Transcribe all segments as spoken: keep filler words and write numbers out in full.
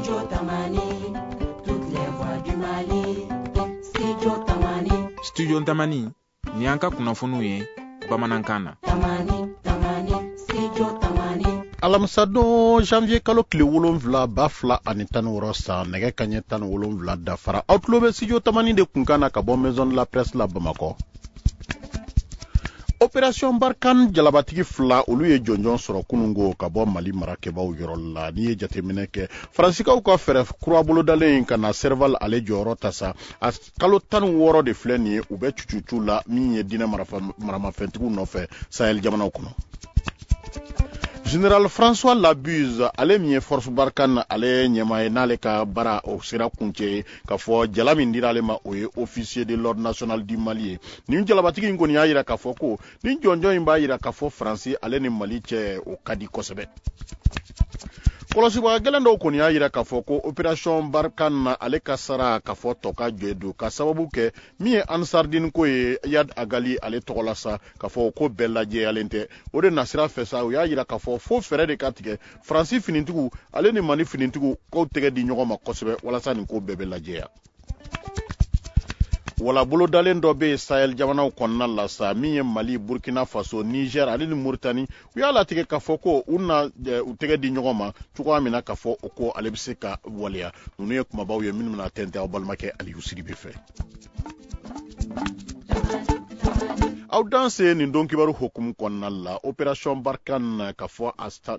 Studio Tamani, toutes les voix du Mali. Studio Tamani. Studio Tamani, ni an ka kunnafoniw ye bamanankan na. Tamani, Tamani, Studio Tamani. Alamisadon, janvier kalo tile wolonfila, ba fila ani tan wɔɔrɔ san, nɛgɛ kaɲɛ tan ni wolonfila dafara. Aw tulo bɛ Studio Tamani de kunkan na ka bɔ Maison de la Presse la Bamakɔ. Opération Barkhane jalabatigi fila, olu ye jɔnjɔn sɔrɔ kunungo ka bɔ Mali marakɛbaw yɔrɔ la. N'i ye jateminɛ kɛ, Faransikaw ka fɛɛrɛ kura bolodalen ka na Serval ale jɔyɔrɔ ta sa, a kalo tan ni wɔɔrɔ de filɛ nin ye, u bɛ cucucu la min ye diinɛ maramafɛntigiw nɔfɛ Sahel jamanaw kɔnɔ. Général François Labuse, ale min ye Force Barkhane ale ɲɛmaa ye, n'ale ka baara o sera kuncɛ ye, k'a fɔ jala min dira ale ma, o ye officier de l'ordre national du Mali ye. Nin jalabatigi in kɔni y'a yira k'a fɔ ko nin jɔnjɔn in b'a yira k'a fɔ Faransi ale ni Mali cɛ, o ka di kosɛbɛ. Kɔlɔsibaga gɛlɛn dɔw kɔni y'a yira k'a fɔ ko opération Barkhane ale ka sara, k'a fɔ tɔ ka jɛ don, ka sababu kɛ min ye Ansardine ko ye, Iyad Ag Ghali ale tɔgɔ la sa, k'a fɔ ko bɛɛ lajɛyalen tɛ. O de nasira fɛ sa, u y'a yira k'a fɔ fo fɛɛrɛ de ka tigɛ, Faransi finitigiw ale ni Mali finitigiw k'aw tɛgɛ di ɲɔgɔn ma kosɛbɛ, walasa nin ko bɛɛ bɛ lajɛya. Wala bolodalen dɔ bɛ yen Sahel jamanaw kɔnɔna la sa, min ye Mali, Burkina Faso, Niger ale ni Mauritanie, u y'a latigɛ k'a fɔ ko u na u tɛgɛ di ɲɔgɔn ma cogoya min na, k'a fɔ o ko ale bɛ se ka waleya. Ninnu ye kumabaw ye minnu bɛna tɛntɛn aw balimakɛ Aliyu Sidibe fɛ. Aw danse. Nin don kibaru hokumu kɔnɔna la, opération Barkhane, ka fɔ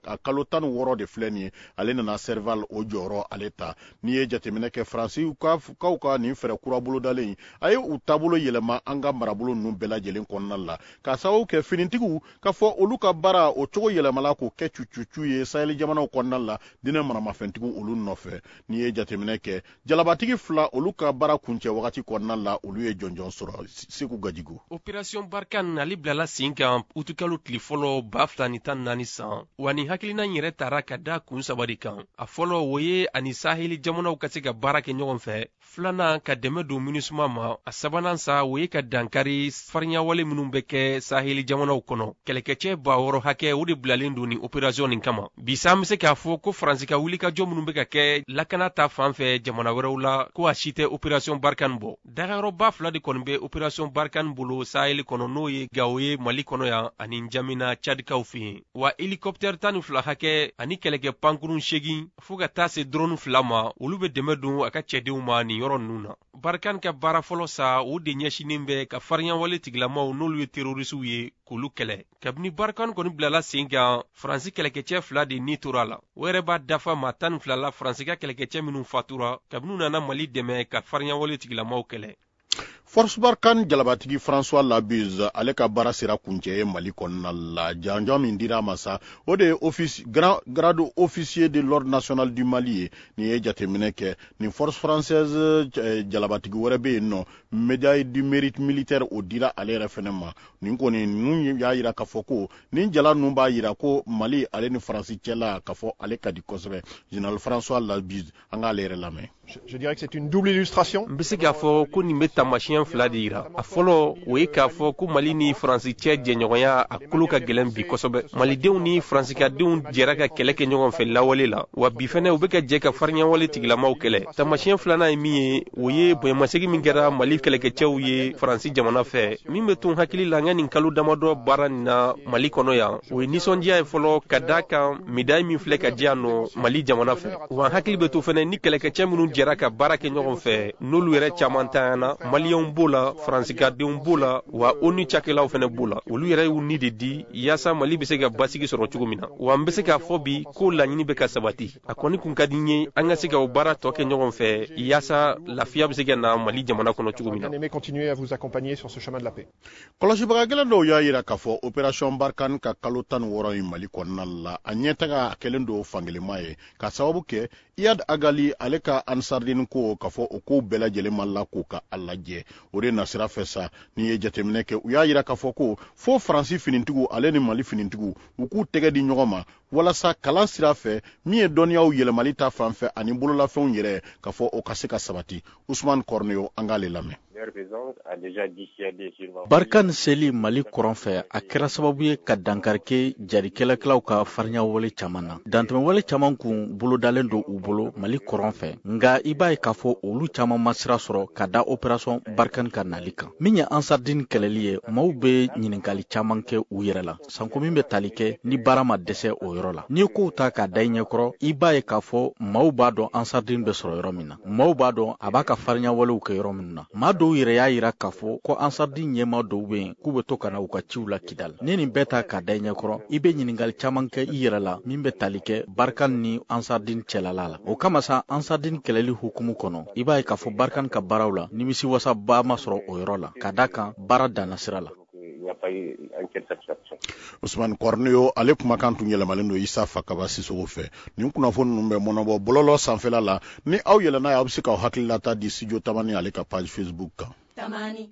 a kalo tan ni wɔɔrɔ de filɛ nin ye, ale nana Serval o jɔyɔrɔ ale ta. N'i ye jateminɛ kɛ, Faransi kaw ka nin fɛɛrɛ kura bolodalen, a ye u taabolo yɛlɛma an ka marabolo ninnu bɛɛ lajɛlen kɔnɔna la, k'a sababu kɛ finitigiw, ka fɔ olu ka baara o cogo yɛlɛmala k'o kɛ cucucu ye Sahel jamanaw kɔnɔna la, diinɛ maramafɛntigiw olu nɔfɛ. N'i ye jateminɛ kɛ, jalabatigi fila, olu ka baara kuncɛ wagati kɔnɔna la, olu ye jɔnjɔn sɔrɔ. Segu Gajigo. Opération Barkhane ale bilala sen kan utukalo tile fɔlɔ ba fila ni tan naani san. Wa nin hakilina in yɛrɛ tara ka da kun saba de kan. A fɔlɔ, o ye ani Saheli jamanaw ka se ka baara kɛ ɲɔgɔn fɛ. Filanan, ka dɛmɛ don MINUSMA ma. A sabanan sa, o ye ka dankari farinyawale minnu bɛ kɛ Saheli jamanaw kɔnɔ. Kɛlɛkɛcɛ ba wɔɔrɔ hakɛ, o de bilalen don nin opération nin kama. Bi sa, an bɛ se k'a fɔ ko Faransi ka wulikajɔ minnu bɛ ka kɛ lakana ta fan fɛ jamana wɛrɛw la, ko a si tɛ opération Barkhane bɔ. Dagayɔrɔba fila de kɔni bɛ opération Barkhane bolo Saheli kɔnɔ, n'o ye Gawo ye Mali kɔnɔ yan ani Njamina Cadikaw fɛ yen. Wa hélicoptère tan ni fila hakɛ ani kɛlɛkɛ pankurun seegin, fɔɔ ka taa se drone fila ma, olu bɛ dɛmɛ don a ka cɛdenw ma nin yɔrɔ ninnu na. Barkhane ka baara fɔlɔ sa, o de ɲɛsinnen bɛ ka farinyawale tigilamaw, n'olu ye terroristew ye, k'olu kɛlɛ. Kabini Barkhane kɔni bilala sen kan, Faransi kɛlɛkɛcɛ fila de ni tora a la. O yɛrɛ b'a dafa maa tan ni fila la, Faransi ka kɛlɛkɛcɛ minnu fatura kabini u nana Mali dɛmɛ ka farinyawale tigilamaw kɛlɛ. Force Barkhane jalabatigi François Labuse, ale ka baara sera kuncɛ ye Mali kɔnɔna la. Janjɔn min dira a ma sa, o de ye office grand grade officier de l'ordre national du Mali ye. Nin ye jateminɛ kɛ, nin force française jalabatigi wɛrɛ bɛ yen nɔ, médaille du mérite militaire, o dira ale yɛrɛ fɛnɛ ma. Nin kɔni ninnu y'a yira k'a fɔ ko nin jala ninnu b'a yira ko Mali ale ni Faransi cɛla, k'a fɔ ale ka di kosɛbɛ. Général François Labuse, an k'ale yɛrɛ lamɛn. Je dirais que c'est une double illustration. N bɛ se k'a fɔ ko nin bɛ taamasiyɛn fila de yira. A fɔlɔ, o ye k'a fɔ ko Mali ni Faransi cɛ jɛɲɔgɔnya, a kolo ka gɛlɛn bi kosɛbɛ. Malidenw ni Faransikadenw jɛra ka kɛlɛ kɛ ɲɔgɔn fɛ lawale la, wa bi fɛnɛ u bɛ ka jɛ ka fariɲawale tigilamaw kɛlɛ. Taamasiyɛn filanan ye min ye, o ye bonyamasegin min kɛra Mali kɛlɛkɛcɛw ye Faransi jamana fɛ. Min bɛ to n hakili la n ka nin kalo damadɔ baara nin na Mali kɔnɔ yan, o ye nisɔndiya ye fɔlɔ, ka da kan médaille min filɛ ka di yan nɔ Mali jamana fɛ. Wa n hakili bɛ to fɛnɛ ni kɛlɛkɛcɛ minnu jɛra ka baara kɛ ɲɔgɔn fɛ, n'olu yɛrɛ caman tanyana, Maliyɛnw b'o la, Faransikadenw b'o la, wa ONU cakɛlaw fɛnɛ b'o la. Olu yɛrɛ y'u ni de di yaasa Mali bɛ se ka basigi sɔrɔ cogo min na. Wa n bɛ se k'a fɔ bi ko laɲini bɛ ka sabati. A kɔni kun ka di n ye an ka se ka o baara tɔ kɛ ɲɔgɔn fɛ, yaasa lafiya bɛ se ka na Mali jamana kɔnɔ cogo min na. Kɔlɔsibaga gɛlɛn dɔw y'a yira k'a fɔ opération Barkhane ka kalo tan ni wɔɔrɔ in Mali kɔnɔna la, a ɲɛtaga a kɛlen don fankelenma ye, ka sababu kɛ Iyad Ag Ghali ale ka Ansardine ko, k'a fɔ o kow bɛɛ lajɛlen ma la k'o ka a lajɛ. O de nasira fɛ sa, n'i ye jateminɛ kɛ, u y'a yira k'a fɔ ko fo Faransi finitigiw ale ni Mali finitigiw, u k'u tɛgɛ di ɲɔgɔn ma, walasa kalan sira fɛ, min ye dɔnniyaw yɛlɛmali ta fan fɛ ani bololafɛnw yɛrɛ, k'a fɔ o ka se ka sabati. Usman Kɔrɔneyo, an k'ale lamɛn. Barkhane seli Mali kɔrɔn fɛ, a kɛra sababu ye ka dankari kɛ jarikɛlɛkɛlaw ka farinyawale caman na. Dantɛmɛwale caman kun bolodalen don u bolo Mali kɔrɔn fɛ, nka i b'a ye k'a fɔ olu caman ma sira sɔrɔ ka da opération Barkhane ka nali kan. Min ye Ansardine kɛlɛli ye, maaw bɛ ɲininkali caman kɛ u yɛrɛ la, sanko min bɛ tali kɛ ni baara ma dɛsɛ o yɔrɔ la. N'i ye kow ta k'a da i ɲɛkɔrɔ, i b'a ye k'a fɔ maaw b'a dɔn Ansardine bɛ sɔrɔ yɔrɔ min na, maaw b'a dɔn a b'a ka farinyawalew kɛ yɔrɔ min na. Maa dɔw yɛrɛ y'a yira k'a fɔ ko Ansardine ɲɛmaa dɔw bɛ yen k'u bɛ to ka na u ka ciw la Kidal. Ni nin bɛɛ ta k'a da i ɲɛkɔrɔ, i bɛ ɲininkali caman kɛ i yɛrɛ la min bɛ tali kɛ Barkhane ni Ansardine cɛlala la. O kama sa, Ansardine kɛlɛli hukumu kɔnɔ, i b'a ye k'a fɔ Barkhane ka baaraw la nimisiwasaba ma sɔrɔ o yɔrɔ la, ka da kan baara danna sira la. Ousmane Corneo ale kumakan tun yɛlɛmalen don Isa Fakaba Sisoko fɛ. Nin kunnafoni ninnu bɛ mɔnɔbɔ bɔlɔlɔ sanfɛla la. Ni aw yɛlɛnna ye, aw bɛ se k'aw hakililata di Studio Tamani ale ka page Facebook kan. Tamani.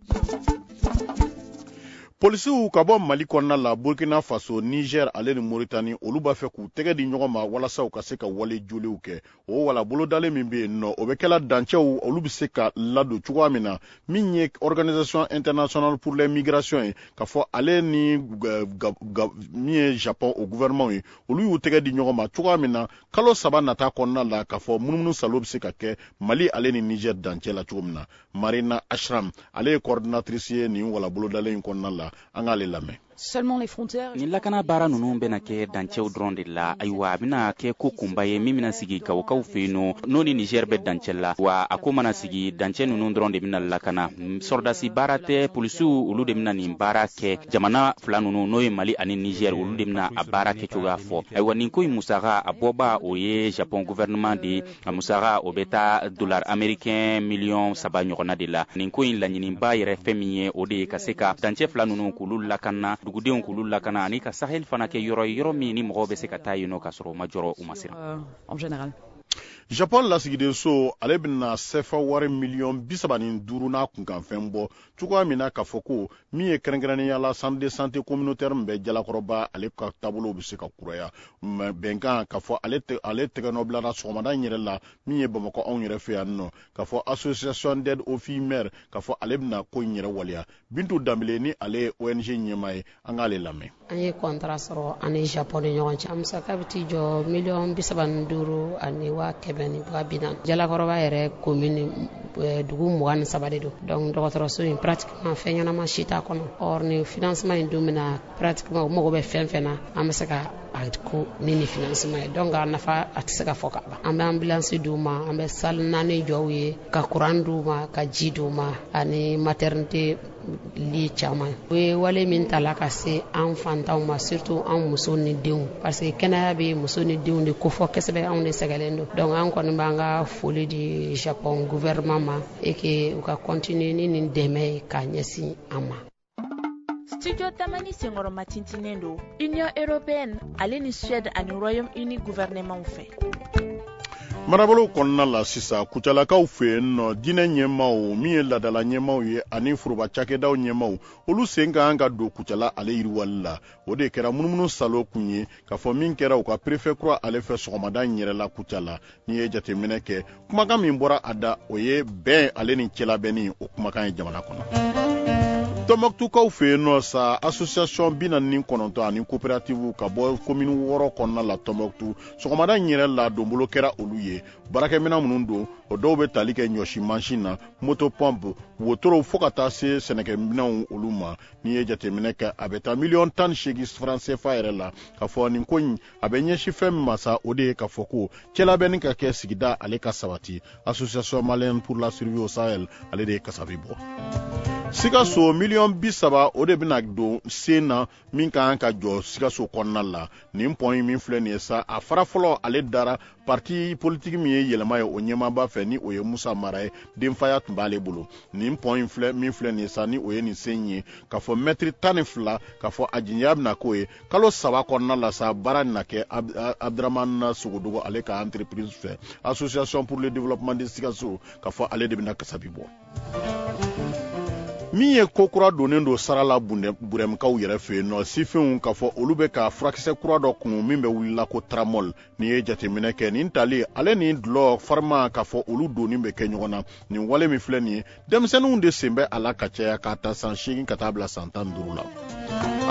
Polisiw ka bɔ Mali kɔnɔna la, Burkina Faso, Niger ale ni Mauritanie, olu b'a fɛ k'u tɛgɛ di ɲɔgɔn ma walasa u ka se ka wale joliw kɛ. O wala bolodalen min bɛ yen nɔ, o bɛ kɛla dancɛw olu bɛ se ka ladon cogoya min na. Min ye Organisation internationale pour les migrations ye, k'a fɔ ale ni min ye Japon o gouvernement ye, olu y'u tɛgɛ di ɲɔgɔn ma cogoya min na kalo saba nata kɔnɔna la, k'a fɔ munumunu salo bɛ se ka kɛ Mali ale ni Niger dancɛ la cogo min na. Marina Ashram ale ye coordinatrice ye nin wala bolodalen in kɔnɔna la. An k'ale lamɛn. Nin lakana baara ninnu bɛna kɛ dancɛw dɔrɔn de la. Ayiwa, a bɛna kɛ ko kunba ye min bɛna sigi Gawokaw fɛ yen nɔ, n'o ni Niger bɛ dancɛ la. Wa a ko mana sigi, dancɛ ninnu dɔrɔn de bɛna lakana. Sɔrɔdasi baara tɛ, polisiw olu de bɛna nin baara kɛ. Jamana fila ninnu, n'o ye Mali ani Niger, olu de bɛna a baara kɛcogoya fɔ. Ayiwa, nin ko in musaka a bɔba o ye Japon gouvernement de ye. A musaka o bɛ taa dollar américain miliyɔn saba ɲɔgɔnna de la. Nin ko in laɲiniba yɛrɛ fɛn min ye, o de ye ka se ka dancɛ fila ninnu k'olu lakana, dugudenw k'olu lakana, ani ka Sahel fana kɛ yɔrɔ ye, yɔrɔ min ni mɔgɔw bɛ se ka taa yen nɔ ka sɔrɔ u ma jɔrɔ, u ma siran. Japon lasigidenso ale bɛna sefa wari miliyɔn bi saba ni duuru n'a kunkanfɛn bɔ cogoya min na, k'a fɔ ko min ye kɛrɛnkɛrɛnnenya la centre de santé communautaire min bɛ Jalakɔrɔba, ale ka taabolow bɛ se ka kuraya. Bɛnkan k'a fɔ ale ale tɛgɛnɔ bilara sɔgɔmada in yɛrɛ la min ye Bamakɔ anw yɛrɛ fɛ yan nɔ, k'a fɔ association d'aide aux filles mères, k'a fɔ ale bɛna ko in yɛrɛ waleya. Bintu Danbele ni ale ye O N G ɲɛmaa ye, an k'ale lamɛn. An ye contrat sɔrɔ an ni Japon ni ɲɔgɔn cɛ. A musaka bɛ t'i jɔ miliyɔn bi saba ni duuru ani waa kɛmɛ ni waa bi naani. Jalakɔrɔba yɛrɛ commune dugu mugan ni saba de don. Donc dɔgɔtɔrɔso in pratiquement fɛn ɲɛnama si t'a kɔnɔ. Or ni financement in dun bɛna pratiquement u mago bɛ fɛn fɛn na, an bɛ se ka a ko ni ni financement ye. Donc a nafa a tɛ se ka fɔ ka ban. An bɛ ambulance d'u ma, an bɛ salle naani jɔ u ye, ka courant d'u ma, ka ji d'u ma, ani maternité li caman. U ye wale min ta la ka se an fantanw ma, surtout an muso ni denw, parce que kɛnɛya bɛ muso ni denw de kofɔ kosɛbɛ, anw de sɛgɛlen don. Donc an kɔni b'an ka foli di Japon gouvernement ma et que u ka continuer ni nin dɛmɛ ye k'a ɲɛsin an ma. Studio Tamani senkɔrɔma tintinnen don Union européenne ale ni Suède ani Royaume-Uni gouvernement fɛ. Marabolo kɔnɔna la sisan, Kucalakaw fɛ yen nɔ, diinɛ ɲɛmaaw min ye laadala ɲɛmaaw ye ani foroba cakɛdaw ɲɛmaaw, olu sen ka kan ka don Kucala ale yiriwali la. O de kɛra munumunu salo kun ye, k'a fɔ min kɛra u ka préfet kura ale fɛ sɔgɔmada in yɛrɛ la Kucala. N'i ye jateminɛ kɛ, kumakan min bɔra a da, o ye bɛn ale ni cɛlabɛnni, o kumakan ye jamana kɔnɔ. Tɔnbɔkutukaw fɛ yen nɔ sa, association bi naani ni kɔnɔntɔn ani coopérative ka bɔ commune wɔɔrɔ kɔnɔna la Tɔnbɔkutu, sɔgɔmada in yɛrɛ la donbolo kɛra olu ye. Baarakɛminɛn minnu don, o dɔw bɛ tali kɛ ɲɔsi mansin na, moto pompe, wotorow, fo ka taa se sɛnɛkɛminɛnw olu ma. N'i ye jateminɛ kɛ, a bɛ taa miliyɔn tan ni seegin franc C F A yɛrɛ la. K'a fɔ nin ko in a bɛ ɲɛsin fɛn min ma sa, o de ye k'a fɔ ko cɛlabɛnni ka kɛ sigida ale ka sabati. Association malienne pour la survie au Sahel ale de ye kasabi bɔ. Sikaso miliyɔn bi saba o de bɛna don sen na min ka kan ka jɔ Sikaso kɔnɔna la. Nin pɔn in min filɛ nin ye sa, a fara fɔlɔ ale dara parti politique min ye yɛlɛma ye o ɲɛmaaba fɛ, ni o ye Musa Mara ye, denfaya tun b'ale bolo. Nin pɔn in filɛ min filɛ nin ye sa, ni o ye nin sen ye, k'a fɔ mɛtiri tan ni fila, k'a fɔ a jigiya bɛna k'o ye kalo saba kɔnɔna la sa. Baara na kɛ Abdramane Sogodogo ale ka entreprise fɛ, association pour le développement de Sikaso, k'a fɔ ale de bɛna kasabi bɔ. Min ye ko kura donnen don sara la Burɛmukaw yɛrɛ fɛ yen nɔ, sifinw k'a fɔ olu bɛ ka furakisɛ kura dɔ kunu min bɛ wulila ko tramol. N'i ye jateminɛ kɛ nin tali ale ni dulɔ farima k'a fɔ olu donni bɛ kɛ ɲɔgɔn na. Nin wale min filɛ nin ye, denmisɛnninw de sen bɛ a la ka caya k'a ta san seegin ka taa bila san tan ni duuru la.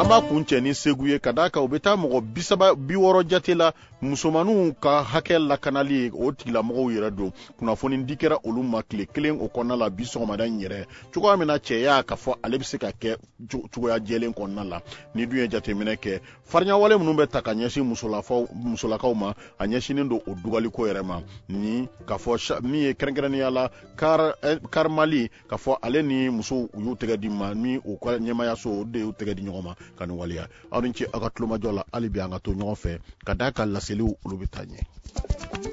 An b'a kun cɛ ni Segu ye, ka d'a kan u bɛ taa mɔgɔ bi saba bi wɔɔrɔ jate la musomaninw ka hakɛ lakanali o tigilamɔgɔw yɛrɛ don. Kunnafoni di kɛra olu ma tile kelen o kɔnɔna la bi sɔgɔmada in yɛrɛ, cogoya min na cɛya k'a fɔ ale bɛ se ka kɛ cogoya jɛlen kɔnɔna la. Ni dun ye jateminɛ kɛ, farinyawale minnu bɛ ta ka ɲɛsin musolafaw musolakaw ma, a ɲɛsinnen don o dugaliko yɛrɛ ma. Ni k'a fɔ min ye kɛrɛnkɛrɛnnenya la kar kar Mali k'a fɔ ale ni musow u y'u tɛgɛ di ma, ni u ka ɲɛmayaso o de y'u tɛgɛ di ɲɔgɔn ma ka nin waleya. Aw ni ce aw ka tulomajɔ la, hali bi an ka to ɲɔgɔn fɛ ka d'a kan laseliw olu bɛ taa ɲɛ.